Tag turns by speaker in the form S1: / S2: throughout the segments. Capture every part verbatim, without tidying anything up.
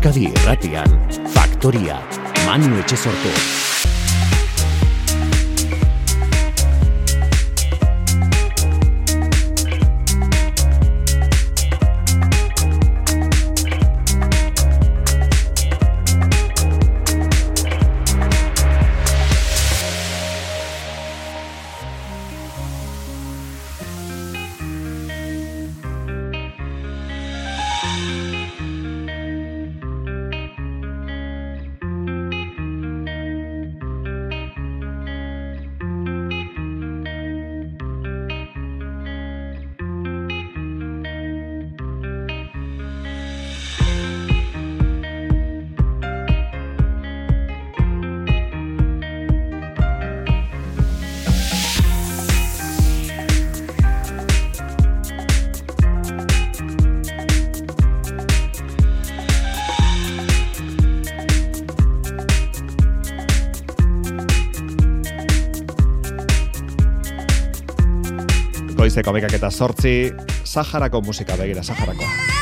S1: Euskadi Irratian, Faktoria, Manu Etxesortu.
S2: Goizeko bekak eta sortzi, Saharako musika begira, Saharakoa.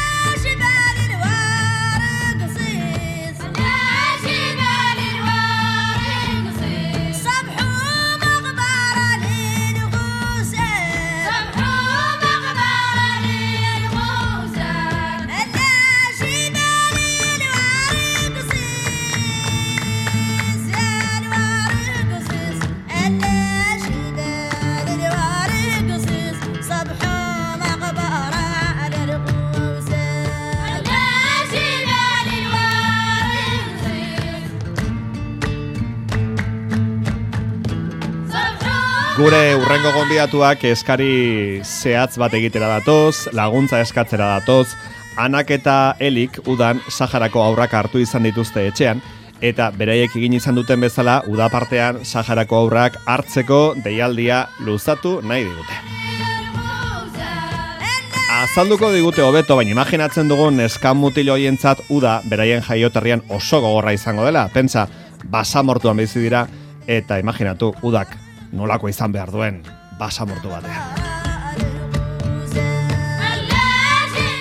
S2: Gure urrengo gonbidatuak eskari zehatz bat egitera datoz, laguntza eskatzera datoz, Anak eta Elik udan Saharako haurrak hartu izan dituzte etxean, eta beraiek egin izan duten bezala, uda partean Saharako haurrak hartzeko deialdia luzatu nahi digute. Azalduko digute hobeto, baina imaginatzen dugun neskan mutil hoientzat uda beraien jaioterrian oso gogorra izango dela. Pentsa, basamortuan bizi dira, eta imaginatu udak nolako izan behar duen basamortu batean.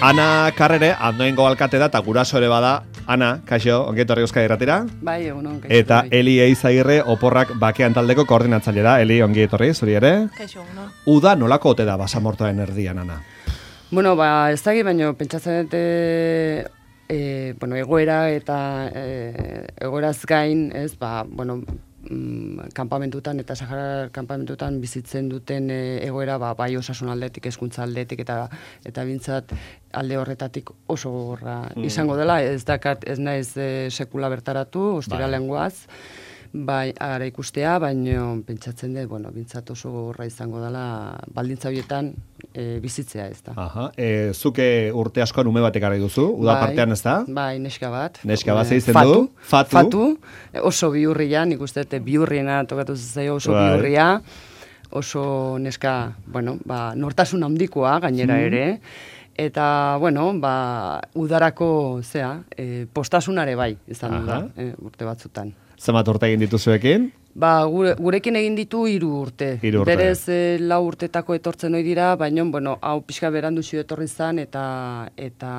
S2: Ana Karrere, Andoaingo alkate da, eta guraso ere bada. Ana, kaixo, ongetorri Euskadi Irratira.
S3: Bai, egunon, kaixo.
S2: Eta Eli Eizagirre, Oporrak bakean taldeko koordinatzaile da. Eli, ongetorri, zuri ere.
S3: Kaixo, egunon.
S2: Uda nolako ote da basamortuaren erdian, Ana?
S3: Bueno, ba, ez dagi, baina pentsatzen dute, e, bueno, egoera eta e, egoeraz gain, ez, ba, bueno, mm, kanpamentutan eta Sahara kanpamentutan bizitzen duten e, egoera, ba, bai osasun aldetik, hezkuntza aldetik eta eta bintzat alde horretatik oso gogorra mm. izango dela, ez dakat, ez naiz e, sekula bertaratu, ostiralean goaz, bai, ara ikustea, baina pentsatzen dut, bueno, bintzat oso gogorra izango dela baldintza horietan e, bizitzea, ez da.
S2: Aha, e, zuke urte askoan ume batek gara duzu, uda
S3: bai,
S2: partean ez da?
S3: Bai, neska bat.
S2: Neska bat zeitzen
S3: fatu,
S2: du? Fatu.
S3: Fatu, oso bihurria, nik uste dut biurriena tokatu zaio oso
S2: bai.
S3: bihurria, oso neska, bueno, ba, nortasun handikoa gainera
S2: mm.
S3: ere, eta, bueno, ba, udarako, zea, e, postasunare bai, izan da, e, urte batzutan.
S2: Zenbat urte egin dituzuekin?
S3: Ba, gure, gurekin egin ditu hiru urte.
S2: Hiru urte.
S3: Berez e, lau urtetako etortzen ohi dira, baina, bueno, hau pixka berandu xio etorri zan, eta, eta,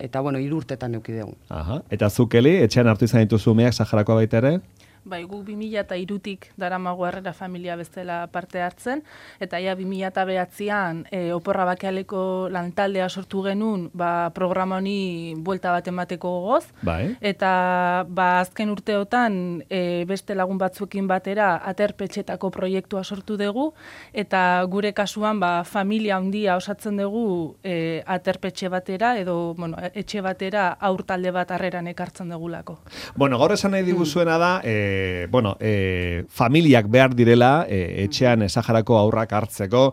S3: eta bueno, hiru urtetan euki dugu.
S2: Aha, eta zukeli, etxean hartu izan dituzu umeak Saharakoa baita ere?
S4: Bai, gu bi mila hirutik daramago Harrera familia bezala parte hartzen, eta ja bi mila bederatzian e, Oporra Bakealeko lantaldea sortu genuen, ba, programa honi buelta bat emateko gogoz,
S2: bai.
S4: Eta ba, azken urteotan e, beste lagun batzuekin batera aterpetxetako proiektua sortu dugu, eta gure kasuan ba, familia handia osatzen dugu e, aterpetxe batera, edo bueno, etxe batera haur talde bat Harreran ekartzen dugulako.
S2: Bueno, gaur esan nahi diguzuena da, e, E, bueno, e, familiak behar direla e, etxean Saharako haurrak hartzeko,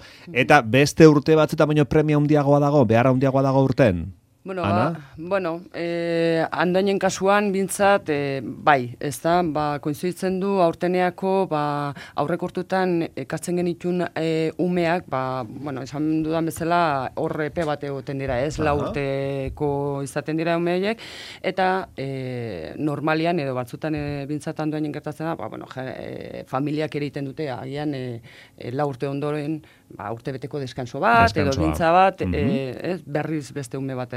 S2: eta beste urte batzuetan baino premia handiagoa dago, behar handiagoa dago urten?
S3: Bueno, ba, bueno eh, Andoainen kasuan bintzat, eh, bai, ez da, ba, koinzitzen du aurteneako, ba, aurrekortutan ekartzen genitun eh, umeak, ba, bueno, esan dudan bezala hor epe bat egoten dira, ez, lau urteko izaten dira umeiek, eta eh, normalian edo batzutan eh, bintzat Andoainen gertatzen da, ba, bueno, ja, eh, familiak eriten dute, agian eh, eh, lau urte ondoren, ba, urte beteko deskanso bat,
S2: Deskansoa.
S3: edo bintza bat,
S2: mm-hmm.
S3: eh, ez, berriz beste ume bat.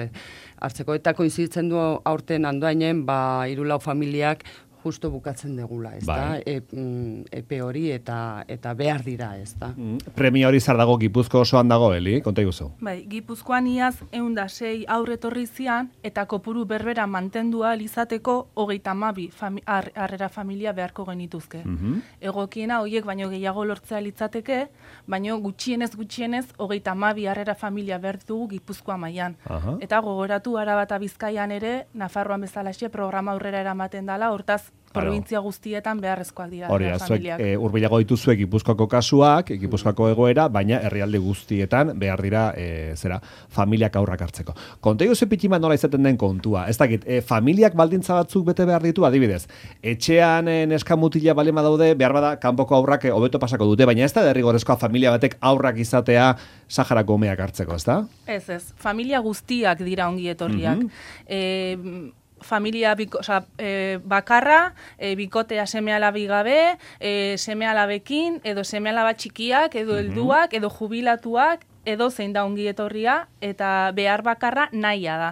S3: hartzeko. Eta koinzitzen du aurten Andoainen, ba, hiru lau familiak justo bukatzen degula, ez da? E, mm, epe hori eta eta behar dira, ez da?
S2: Mm, premia hori zar dago Gipuzko osoan dago, Eli? Konta iguzu.
S4: Bai, Gipuzkoan iaz ehun eta sei aurre etorri zian eta kopuru berbera mantendua izateko hogeita hamabi fami, ar, harrera familia beharko genituzke. Mm-hmm. Egokiena horiek baino gehiago lortzea litzateke, baino gutxienez gutxienez hogeita hamabi harrera familia behar dugu Gipuzkoa mailan.
S2: Aha.
S4: Eta gogoratu Araba eta Bizkaian ere, Nafarroan bezalaxe programa aurrera eramaten dela, hortaz provintzia guztietan beharrezkoak dira.
S2: Hori, zuek e, urbilago dituzuek Gipuzkoako kasuak, Gipuzkoako egoera, baina herrialde guztietan behar dira e, zera, familiak aurrak hartzeko. Konta iguzu pitima nola izaten den kontua. Ez dakit, e, familiak baldintza batzuk bete behar ditu, adibidez. Etxean e, neska mutila balema daude, behar bada, kanpoko aurrak e, hobeto pasako dute, baina ez da derrigorezkoa familia batek aurrak izatea Saharako umeak hartzeko, ez da?
S4: Ez, ez. Familia guztiak dira ongi etorriak. Mm-hmm. e, familia biko, oza, e, bakarra, e, bikotea seme-alabi gabe, e, seme-alabekin, edo seme-alaba txikiak, edo helduak, edo jubilatuak, edo zein da ongi etorria, eta behar bakarra nahia da.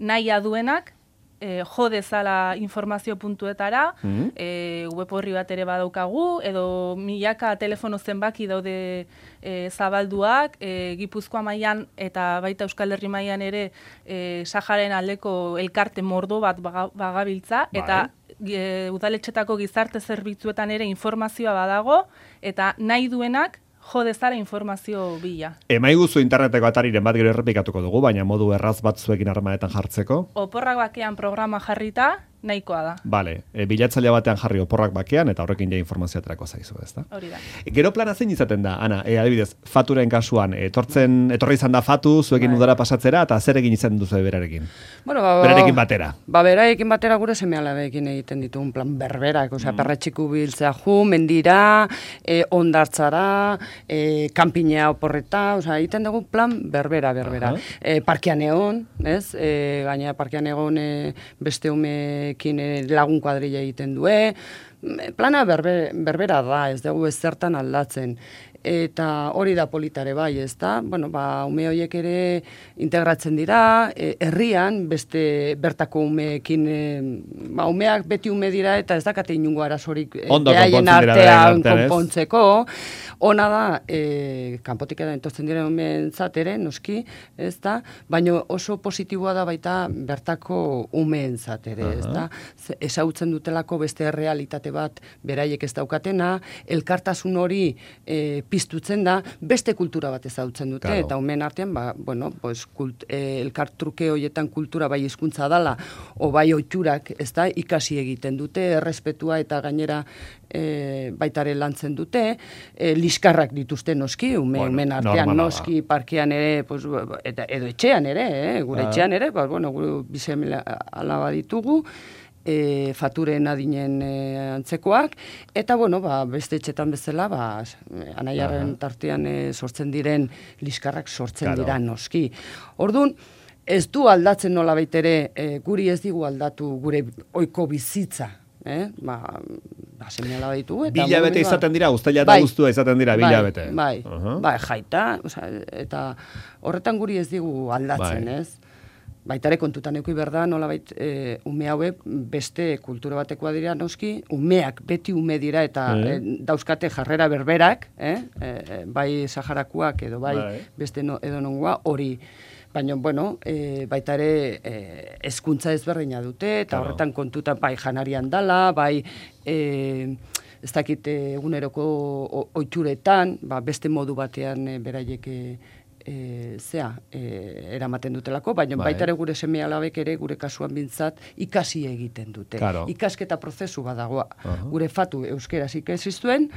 S4: Nahia duenak, e, jo dezala informazio puntuetara, mm-hmm. e, web horri bat ere badaukagu, edo milaka telefono zenbaki daude e, zabalduak, e, Gipuzkoa mailan eta baita Euskal Herri mailan ere e, Saharen aldeko elkarte mordo bat baga, bagabiltza, bai. Eta e, udaletxetako gizarte zerbitzuetan ere informazioa badago, eta nahi duenak jo dezala informazio bila.
S2: Emaiguzu interneteko atariren bat gero errepikatuko dugu, baina modu erraz bat zuekin harremanetan jartzeko.
S4: Oporrak bakean programa jarrita, nahikoa da.
S2: Bale, e, bilatzailea batean jarri oporrak bakean, eta horrekin ja informazioa aterako zaizu, ez da?
S4: Hori da.
S2: Gero plana zein izaten da, Ana, e, adibidez, Faturen kasuan, etortzen, etorri izan da Fatu, zuekin bai. Udara pasatzera, eta zer egin izan duzu berarekin?
S3: Bueno, ba,
S2: berarekin batera.
S3: Ba, berarekin batera gure seme-alabeekin egiten ditugun plan berberak, osea, mm. perretxiku biltzea ju, mendira, e, ondartzara, e, kanpinea oporreta, osea, egiten dugu plan berbera, berbera. E, parkean egon, ez? E, gaina parkean egon e, beste ume lagun kuadrilla egiten due, plana berbe, berbera da, ez dugu ez zertan aldatzen. Eta hori da politare bai, ez da? Bueno, ba, ume horiek ere integratzen dira, e, herrian, beste bertako umeekin, e, ba, umeak beti ume dira, eta ez dakate inungo arazorik e, behaien artean konpontzeko. Ona da, e, kanpotik edan entortzen dira umeentzat ere, noski, ez da? Baina oso positiboa da baita bertako umeentzat ere, ez da? Ezautzen dutelako beste realitate bat beraiek ez daukatena, elkartasun hori e, piztutzen da, beste kultura bat ezautzen dute, claro. Eta umeen artean, ba, bueno, pues, kult, e, elkartruke horietan kultura bai hizkuntza dala, o bai oiturak, ez da, ikasi egiten dute, errespetua eta gainera e, baitare lantzen dute, e, liskarrak dituzte noski, ume, bueno, umeen artean noski, parkean ere, pues, eta, edo etxean ere, eh, gure ah. etxean ere, ba, bueno, gure bizemela alaba ditugu, E, Faturen adinen e, antzekoak, eta bueno, ba, beste etxetan bezala, ba, anaiaren tartean e, sortzen diren liskarrak sortzen claro. Dira noski. Orduan, ez du aldatzen nola baitere, e, guri ez digu aldatu gure ohiko bizitza. Eh? Ba, ba, seme alaba ditugu.
S2: Bilabete izaten dira, uztaila eta guztua izaten dira, bilabete.
S3: Bai, bai, uh-huh. bai jaita, oza, eta horretan guri ez digu aldatzen, bai. Ez? Baitare kontutan euki berda, nolabait e, ume hauek beste kultura batekoa dira noski, umeak beti ume dira eta e. e, dauzkate jarrera berberak, eh? e, bai Saharakoak edo bai, bai. Beste no, edo nongoa hori. Baina, bueno, e, baita ere e, hezkuntza ezberdina dute, eta claro. Horretan kontutan bai janarian dala, bai e, ez dakit eguneroko ohituretan, ba, beste modu batean e, beraiek e, E, zea, e, eramaten dutelako, baina bai. Baitare gure seme-alabek ere gure kasuan bintzat ikasi egiten dute. Claro. Ikasketa prozesu badagoa. Uh-huh. Gure Fatu euskeraz ikasiztuen,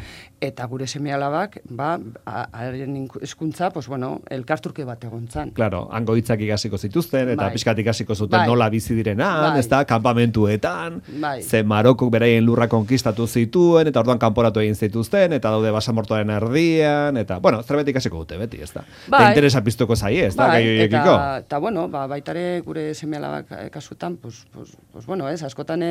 S3: eta gure seme-alabak, ba, haren hezkuntza, pues bueno, elkarturke bat egontzan. Claro, hango hitzak ikasiko zituzten, eta bai. Pixkat ikasiko zuten bai. Nola bizi direnan, bai. Ez da, kanpamentuetan, bai. Ze Marokok beraien lurra konkistatu zituen, eta orduan kanporatu egin zituzten, eta daude basamortoaren erdian, eta, bueno, zerbait ikasiko dute, beti, ez da. Bai.
S2: interesa piztuko zaie, ez da,
S3: bai,
S2: gai horiekiko.
S3: Eta, eta, bueno, ba, baitare gure seme-alabak kasutan, pues, pues, pues, bueno, ez, askotan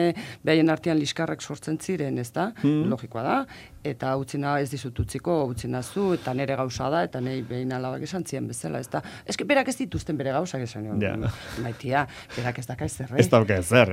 S3: behaien artean liskarrak sortzen ziren, ez da, mm. logikoa da, eta utzina ez dizut utziko, utzina zu, eta nere gauza da, eta nahi behin alabak esan ziren bezala, ez da. Ez que berak ez dituzten bere gauzak esan, ja. Maitia, berak ez daka ezer,
S2: Ez dauka ezer.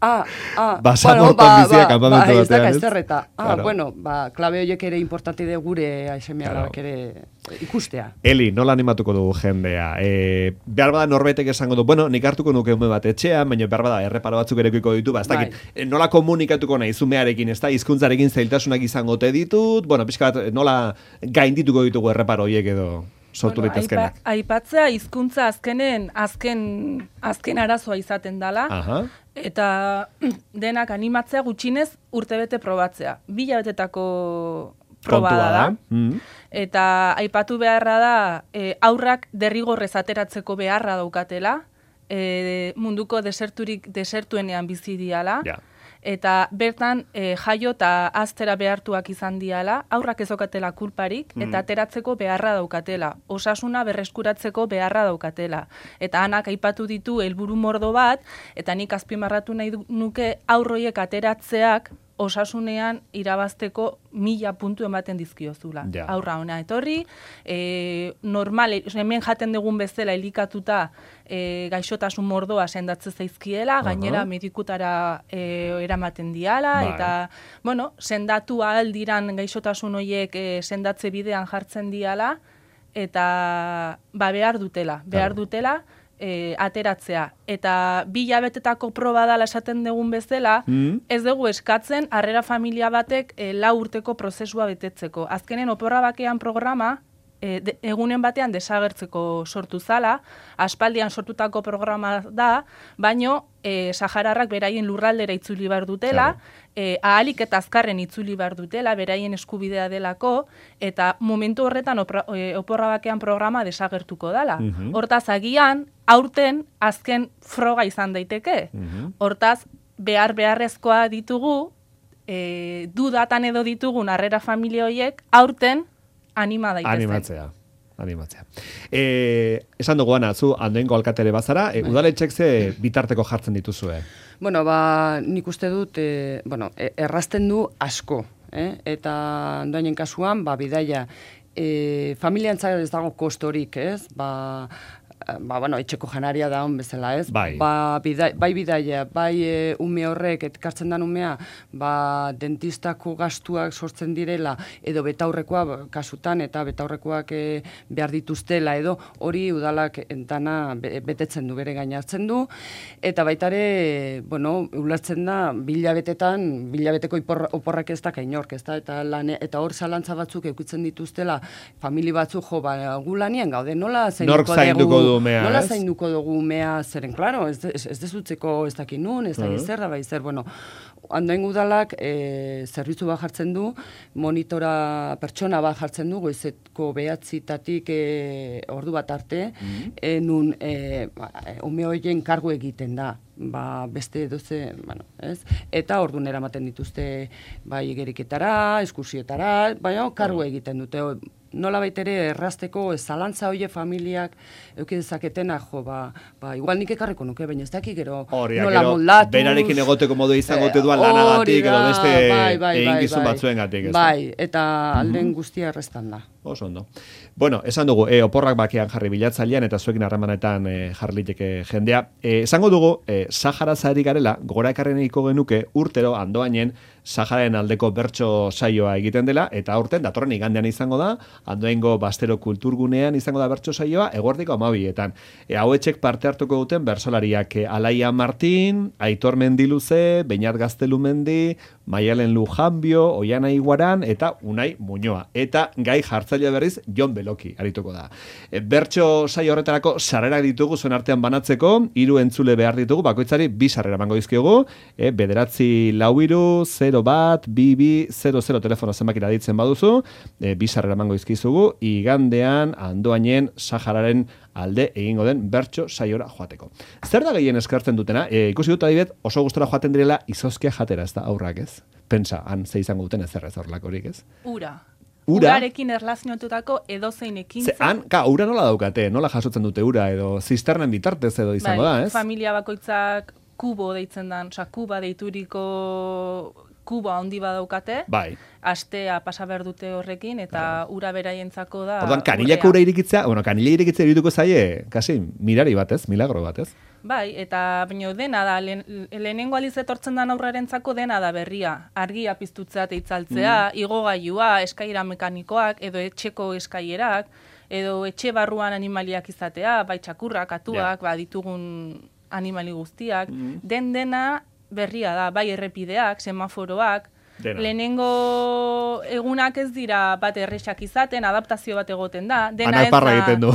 S3: Ah, ah,
S2: Basamorton
S3: bueno, ba,
S2: bizia
S3: ba,
S2: kanpamentu
S3: ba, ez
S2: batean,
S3: daka
S2: ez?
S3: ezer, eta, ah,
S2: Claro.
S3: bueno, ba, klabe horiek ere importante de gure seme-alabak ere ikustea.
S2: Eli, nola animatuko dugu jendea? E, behar bada norbetek esango du, bueno, nik hartuko nuke ume bat etxean, baina behar bada erreparo batzuk erekiko ditu, ba, ez dakit,
S3: Bai.
S2: nola komunikatuko nahi zumearekin, ez da, hizkuntzarekin zailtasunak izango te ditut, bueno, pixka bat, nola gaindituko ditugu erreparo horiek edo sortu
S4: Bueno,
S2: litezkenak.
S4: aipa- aipatzea hizkuntza azkenen azken azken arazoa izaten dala.
S2: Aha.
S4: Eta denak animatzea gutxinez urtebete probatzea. Bi hilabetetako proba
S2: Kontua
S4: da.
S2: Mm.
S4: Eta aipatu beharra da e, aurrak derrigorrez ateratzeko beharra daukatela, e, munduko deserturik desertuenean bizi diala.
S2: Ja.
S4: Eta bertan e, jaio eta aztera behartuak izan diala, aurrak ezokatela kulparik, eta ateratzeko beharra daukatela, osasuna berreskuratzeko beharra daukatela. Eta anak aipatu ditu helburu mordo bat, eta nik azpimarratu nahi du- nuke aurroiek ateratzeak osasunean irabazteko mila puntu ematen dizkiozula.
S2: Ja.
S4: Aurra ona etorri, e, normal, hemen jaten dugun bezala elikatuta e, gaixotasun mordoa sendatzen zaizkiela, gainera medikutara e, eramaten diala,
S2: Bai.
S4: eta, bueno, sendatu ahal diran gaixotasun horiek e, sendatze bidean jartzen diala, eta ba, behar dutela, behar
S2: Claro.
S4: dutela, E, ateratzea. Eta bi hilabetetako proba dala esaten dugun bezala,
S2: Mm.
S4: ez dugu eskatzen harrera familia batek e, lau urteko prozesua betetzeko. Azkenen oporra bakean programa, e, de, egunen batean desagertzeko sortu zala, aspaldian sortutako programa da, baino e, sahararrak beraien lurraldera itzuli behar dutela, e, ahalik eta azkarren itzuli behar dutela, beraien eskubidea delako, eta momentu horretan opra, e, oporra bakean programa desagertuko dela.
S2: Mhm.
S4: Hortaz, agian, aurten azken froga izan daiteke.
S2: Mhm.
S4: Hortaz, behar beharrezkoa ditugu, e, dudatan edo ditugun harrera familia horiek, aurten anima daitezen.
S2: Animatzea. Animatzea. E, esan dugu, Ana, zu Andoaingo alkatere bazara, e, udaletxek ze bitarteko jartzen dituzue?
S3: Bueno, ba, nik uste dut, e, bueno, e, errazten du asko, eh? Eta Andoainen kasuan, ba, bidaia, e, familiantzak ez dago kostorik, ez? Ba, ba, bueno, etxeko janaria da on bezala, ez?
S2: Bai.
S3: Ba, bida, bai bidaia, bai e, ume horrek, etkartzen dan umea, ba, dentistako gastuak sortzen direla, edo betaurrekoa ba, kasutan, eta betaurrekoak e, behar dituztela, edo hori udalak entana be, betetzen du, bere gainartzen du, eta baitare, bueno, ulertzen da, bilabetetan, bilabeteko ipor, oporrak ez da kainork, ez da, eta, lan, eta hor zalantza batzuk eukitzen dituztela, famili batzuk, jo, ba, gu lanien gaude, nola
S2: Nork zainduko du umea,
S3: nola
S2: ez?
S3: zainduko dugu umea, zeren, klaro, ez, ez, ez dezutzeko ez dakin nun, ez da
S2: Mhm.
S3: zer da, bai zer, bueno, Andoain udalak e, zerbitzu bat jartzen du, monitora pertsona bat jartzen du, goizeko behatzitatik e, ordu bat arte, e, nun e, ba, e, ume horien kargu egiten da, ba, beste doze, bueno, ez? Eta ordun eramaten dituzte bai igeriketara, eskursiotara, baina kargu egiten dute, nola baitere errazteko zalantza hoie familiak euki dezaketena, jo, ba, ba, igual nik ekarriko nuke, baina ez dakik gero
S2: Hori,
S3: nola
S2: gero,
S3: moldatuz.
S2: berarekin egoteko modu izango te duan
S3: Eh,
S2: lanagatik,
S3: hori
S2: edo
S3: da,
S2: beste
S3: bai, bai,
S2: egin
S3: bai,
S2: gizun
S3: bai.
S2: batzuengatik, ez da?
S3: Bai, eta alden guztia errestan da.
S2: Oso ondo. Bueno, esan dugu, e, oporrak bakean jarri bilatzailean eta zuekin harremanetan e, jarri liteke jendea. E, esango dugu, e, Sahara zari garela, gora ekarreniko genuke urtero Andoainen Sahararen aldeko bertso saioa egiten dela, eta aurten datorren igandean izango da, Andoaingo Bastero Kulturgunean izango da bertso saioa, eguerdiko amabietan. E, hauetxek parte hartuko duten bersolariak e, Alaia Martin, Aitor Mendiluze, Beñat Gaztelumendi, Maialen Lujanbio, Oiana Iguaran, eta Unai Muñoa. Eta gai jartzaile berriz, Jon Beloki arituko da. E, bertso saio horretarako sarrerak ditugu zuen artean banatzeko, hiru entzule behar ditugu, bakoitzari bi sarrera emango dizkiogu, e, bederatzi lau hiru, zero bat, bi bi, zero zero telefono zenbakira ditzen baduzu, e, bi sarrera emango dizkizugu, igandean Andoainen Sahararen alde egingo den bertso saiora joateko. Zer da gehien eskartzen dutena? E, ikusi dut adibet, oso gustora joaten direla izozkia jatera, ez da aurrak, ez? Pentsa, han ze izango duten ezer ez horlakorik, ez?
S4: Ura.
S2: Ura?
S4: Urarekin erlazionatutako edozein ekintza.
S2: Ze, han, ka, ura nola daukate, nola jasotzen dute ura, edo zisternen bitartez edo izango
S4: bai,
S2: da, ez?
S4: Familia bakoitzak kubo deitzen dan, osea, kuba deituriko kubo handi badaukate,
S2: Bai.
S4: astea pasa behar dute horrekin, eta ura beraientzako da...
S2: Orduan, kanilako ura irikitzea, bueno, kanila irikitzea irituko zaie, kasi, mirari batez, milagro batez.
S4: Bai, eta baino dena da, lehen, lehenengo aliz etortzen da aurrarentzako dena da berria. Argia piztutzea eta itzaltzea, mm. igogailua, eskaira mekanikoak, edo etxeko eskailerak, edo etxe barruan animaliak izatea, bai txakurrak, atuak, yeah. ba, ditugun animali guztiak, mm. den dena berria da, bai errepideak, semaforoak, dena. Lehenengo egunak ez dira bat errexak izaten, adaptazio bat egoten da, dena ez
S2: da... egiten du.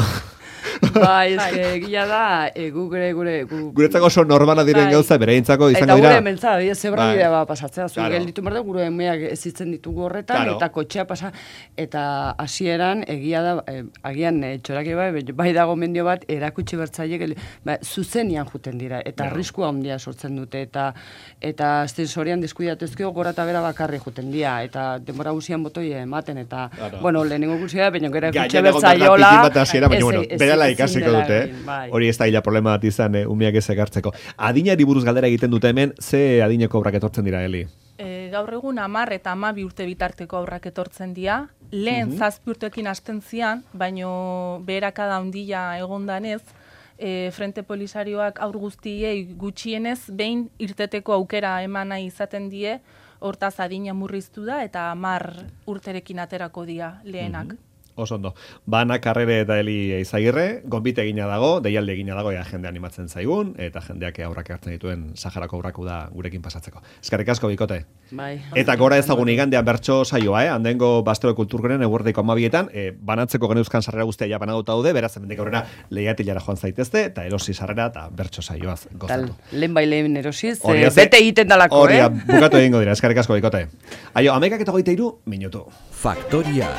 S3: Bai, ez que gila da, e, gu gure, gure... Gu,
S2: Guretzako oso normala diren bai. Gauza, bereintzako izango dira.
S3: Eta gure mentza, zebra bidea ba pasatzea, zu claro. Gelditu merde, gure emeak ezitzen ditugu horretan, claro. Eta kotxea pasa, eta hasieran egia da, e, agian e, txoraki bai, bai dago mendio bat, erakutsi bertzaile, ba, zuzenian juten dira, eta no. Arriskua handia sortzen dute, eta eta sensorian deskuidatezkio gora eta bera bakarri juten dira, eta denbora guzian botoi ematen, eta, claro. Bueno, lehenengo guzia, baina gara kutxe bertzaiola,
S2: ikasiko dute, bai. Hori ez da hila problema bat izan, eh, umiak ez ekartzeko. Adinari buruz galdera egiten dute hemen, ze adineko aurrak etortzen dira, Eli?
S4: E, gaur egun hamar eta hamabi urte bitarteko aurrak etortzen dira, lehen uh-huh. zazpi urtekin hasten zian, baino beherakada handia egondanez, e, Frente Polisarioak aur guztiei gutxienez, behin irteteko aukera eman nahi izaten die, hortaz adina murriztu da, eta hamar urterekin aterako dira lehenak. Uh-huh.
S2: Oso ondo. Bana Karrere eta Eli Eizagirre, gonbite egina dago, deialde egina dago, ea jende animatzen zaigun, eta jendeak aurrak hartzen dituen Saharako aurraku da gurekin pasatzeko. Eskerrik asko, bikote.
S3: Bai.
S2: Eta gora ezagun igandean bertso saioa, eh? Handengo Bastero Kulturgenen eguerdiko amabietan, eh, banatzeko geneuzkan sarrera guztia ja banatuta daude, beraz, hemendik aurrera lehiatilara joan zaitezte, eta erosi sarrera eta bertso saioaz gozatu.
S3: Tal, lehen bai lehen erosiz, eh, bete egiten dalako,
S2: eh? Hori, bukatu egingo dira, eskerrik asko, bikote. Aio, amekak eta goite iru, minutu.
S1: Faktoria.